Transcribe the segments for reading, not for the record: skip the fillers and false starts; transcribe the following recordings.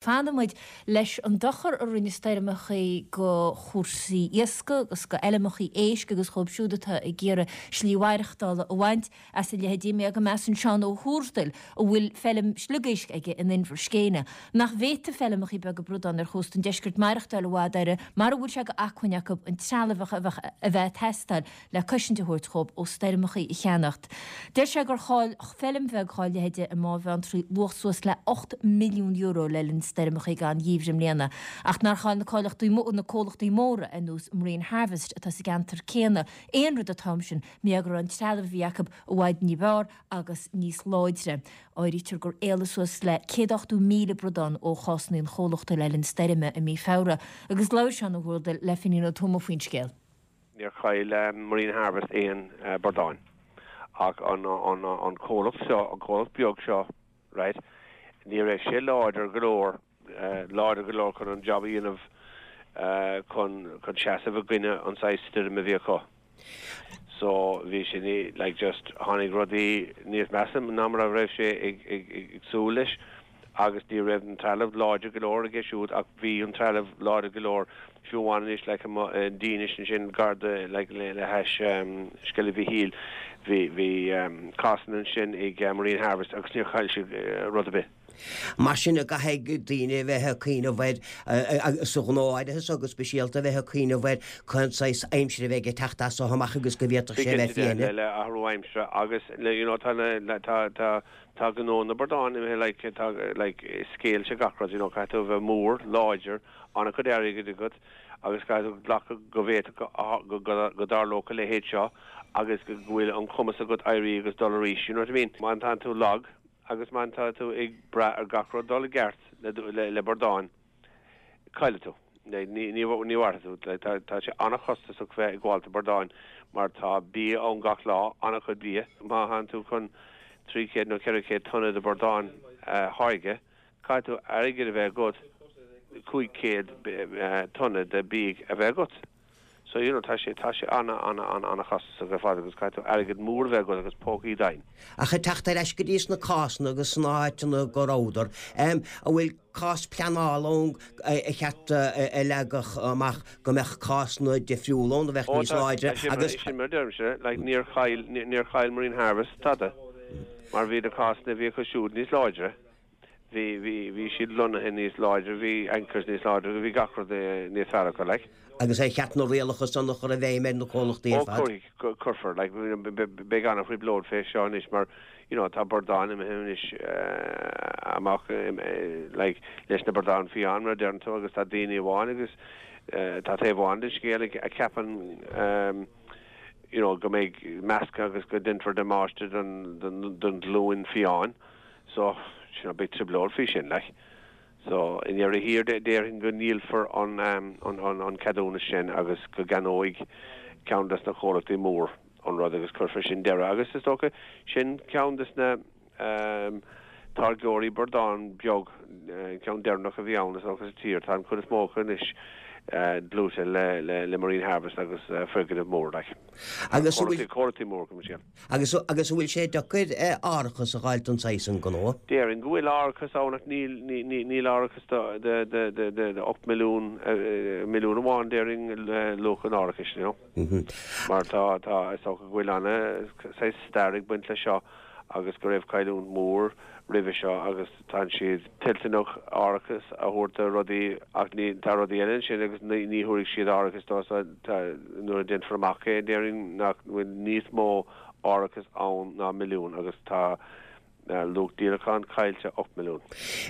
Fanfaidh muid leis an dochar a rinne stoirmeachaí go chúrsaí iascaigh agus go fheilmeachaí éisc agus dhóibh siúd atá ag iarraidh slí mhaireachtála a bhaint as a leithéidí. Mar go measann Seán Ó hÚrdail, a bhfuil feilm sliogéisc aige in Inbhir Scéine, nach bhféadfaidh feilmeachaí beaga bradán ar chósta an deiscirt maireachtáil i bhfad orthu mara bhfuil sé d'acmhainn acu an trealamh a bheadh a bheith ag teastáil le cosaint a thabhairt dhóibh ó stoirmeachaí a cheannacht. Deir sé gur chaill feilm bheag dhá leithéide i mBá Bheanntraí luach suas le €8 milliún le linn stoirmeachaí an gheimhridh i mbliana, ach nár chaill na comhlachtaí na comhlachtaí móra ar nós Marine Harvest atá sa gceantar céanna aon rud an t-am sin mar go raibh an trealamh a bhí acu i bhfad ní b'fhearr agus níos láidre. Áirítear gur éalaigh suas le 180,000 bradán ó chásanna an chomhlachta le linn stoirme i mí Feabhra agus labhair Seán Ó hÚrdail le Fínín Ó Tuama faoin scéal. Níor chaill Marine Harvest aon bradáin ach an comhlacht seo, an comhlacht beag seo, right, ní raibh sé láidir go leor, láidir go leor chun an job a dhéanamh chun, chun seasamh i gcoinne an saghas stoirm a bhí acu. So bhí sé ní, like just tháinig rudaí níos measa ná mar a raibh sé ag, ag, ag súil leis. agus ní raibh an trealamh láidir go leor aige siúd ach bhí an trealamh láidir go leor fiú amháin anois like i nDínis ansin gar do like le hais Sceilg Mhichíl bhí bhí cásanna ansin ag Marine Harvest agus níor chaill siad rud ar bith. Mar sin an gcaithfidh daoine a bheith ag cuimhneamh air sa ghnó áirithe so go speisialta a bheith ag cuimhneamh ar cén saghas aimsire a bheidh ag teacht as so amach agus go bhféadfadh sé a bheith fiain. Le athrú aimsire agus le you know tá na tá tá Tá gnó na bradán imithe like tá like scale sé gach rud you know caithfidh tú a bheith mór, láidir, an-chuid airgid agat agus caithfidh tú glacadh go bhféadfadh go go dtarlódh a leithéid seo agus go bhfuil an cumas agat éirí agus dul arís you know what I mean? Má tánn tú lag agus má tá tú ag brath ar gach rud dul i gceart le le bradáin, caillfidh tú. Ní mhairfidh tú. Tá sé an-chostasach bheith ag gabháil do bradáin mar tá bia ann gach lá, an-chuid bia. Má thánn tú chun 300 nó 400 tonna de bhradáin a tháirgeadh, caithfidh tú airgead a bheith agat 500 tonna de bia a bheith agat. So, you know, tá sé, tá sé ana, ana, ana, ana chostasach ar fad agus caithfidh tú airgead mór a bheith agat agus pócaí doimhin. Ach ag teacht ar ais go dtí sna cásanna agus sna háiteanna go rabhadar, em, an bhfuil cás pleanála ann ar cheart a leagadh amach go mbeadh cásanna difriúla ann a bheadh níos láidre agus. Sin mar a deirimse, like, níor chaill, níor chaill Marine Harvest tada mar bhí na cásanna a bhí acu siúd níos láidre. Bhí, bhí, bhí siad lonnaithe níos láidre, bhí anchors níos láidre, bhí gach rud níos fearr acu, like. Agus ar cheart na rialacha san a chur i bhfeidhm ar na comhlachtaí ar fad? Ó, cuirfidh, cuirfear, like, beidh an-thrioblóid fé seo anois mar, you know, tá bradáin imithe anois amach, like, leis na bradáin fiáin, mar a deireann tú, agus tá daoine amháin agus tá taobh amháin den scéal a cheapann, you know, go mbeidh meascadh agus go ndéanfar damáiste don, don, don ghlúin fiáin. So, you know, beidh trioblóid faoi sin, like. So, i ndeireadh thiar, déarfainn go ndíolfar an, an, an, an ceadúnas sin agus go gceannóidh ceann des na comhlachtaí mór an rud agus cuirfear sin deireadh. Agus is dócha, sin ceann des na táirgeoirí bradán beag, an ceann deireanach a bhí ann is dócha sa tír. Tá an chuid is mó acu anois dlúite le, le, le Marine Harvest agus foirgneamh mór, like. Agus an bhfuil. Comhlachtaí mór, go mba Agus agus an bhfuil sé deacair árachas a dh'fháilt don saghas san gnó? Déarfainn go bhfuil árachas ann ach níl níl árachas do de 8 milliún milliún amháin déarfainn luach an árachais you know. Mar tá tá is dócha go bhfuil ana saghas stair ag baint leis seo agus go raibh cailliúint mór roimhe seo agus Tá siad toilteanach árachas a thabhairt do rudaí ach ní, tá rudaí eile ansin agus ní, ní thabharfaidh siad árachas dó so tá, nuair a déanfar amach é déarfainn nach bhfuil níos mó árachas ann ná milliún agus tá luach díolacháin caillte 8 milliún.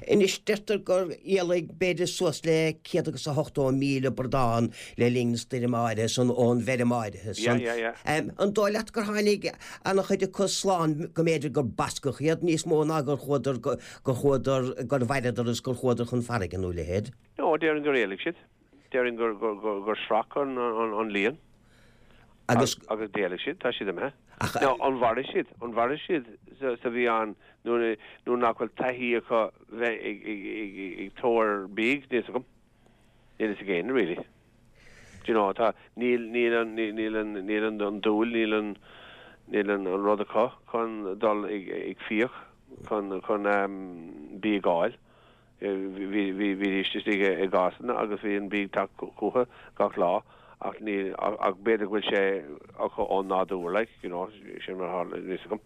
Anois deirtear gur éalaigh b'fhéidir suas le 180,000 bradán le linn na stoirme áirithe san ón bhfeirm áirithe san. Yeah, yeah, yeah. An dóigh leat gur tháinig Ana-chuid acu slán go mb'fhéidir gur bascadh iad níos mó ná gur chuadar, gur chuadar, gur mhaireadar is gur chuadar chun farraige nó a leithéid. No, déarfainn gur éalaigh siad. Déarfainn gur, gur, gur, gur shroich an, an, an líon. Agus. Agus d'éalaigh siad, tá siad imithe. Ach. Now, an mhairfidh siad? An mhairfidh siad sa, sa bhfiáin nuair, nuair nach bhfuil taithí acu bheith ag, ag, ag, ag tóir bídh, níl 'fhios agam. Níl 'fhios ag éinne really. Do you know, tá, níl, níl an, níl an, níl an, an dúil, níl an, níl an, an rud acu chun dul ag, ag fiach, chun, chun bia a fháil. Bhí, bhídís istigh i gcásanna agus bhí an bia ag teacht chucu gach lá ach ní, ach b'fhéidir go bhfuil sé acu ón nádúr like, you know, sin mar atá a fhios agam.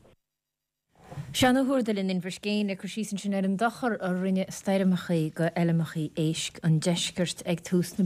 Seán Ó hÚrdail in Inbhir Scéine ag cur síos ansin ar an dochar a rinne stoirmeachaí go fheilmeachaí éisc an deiscirt ag tús na.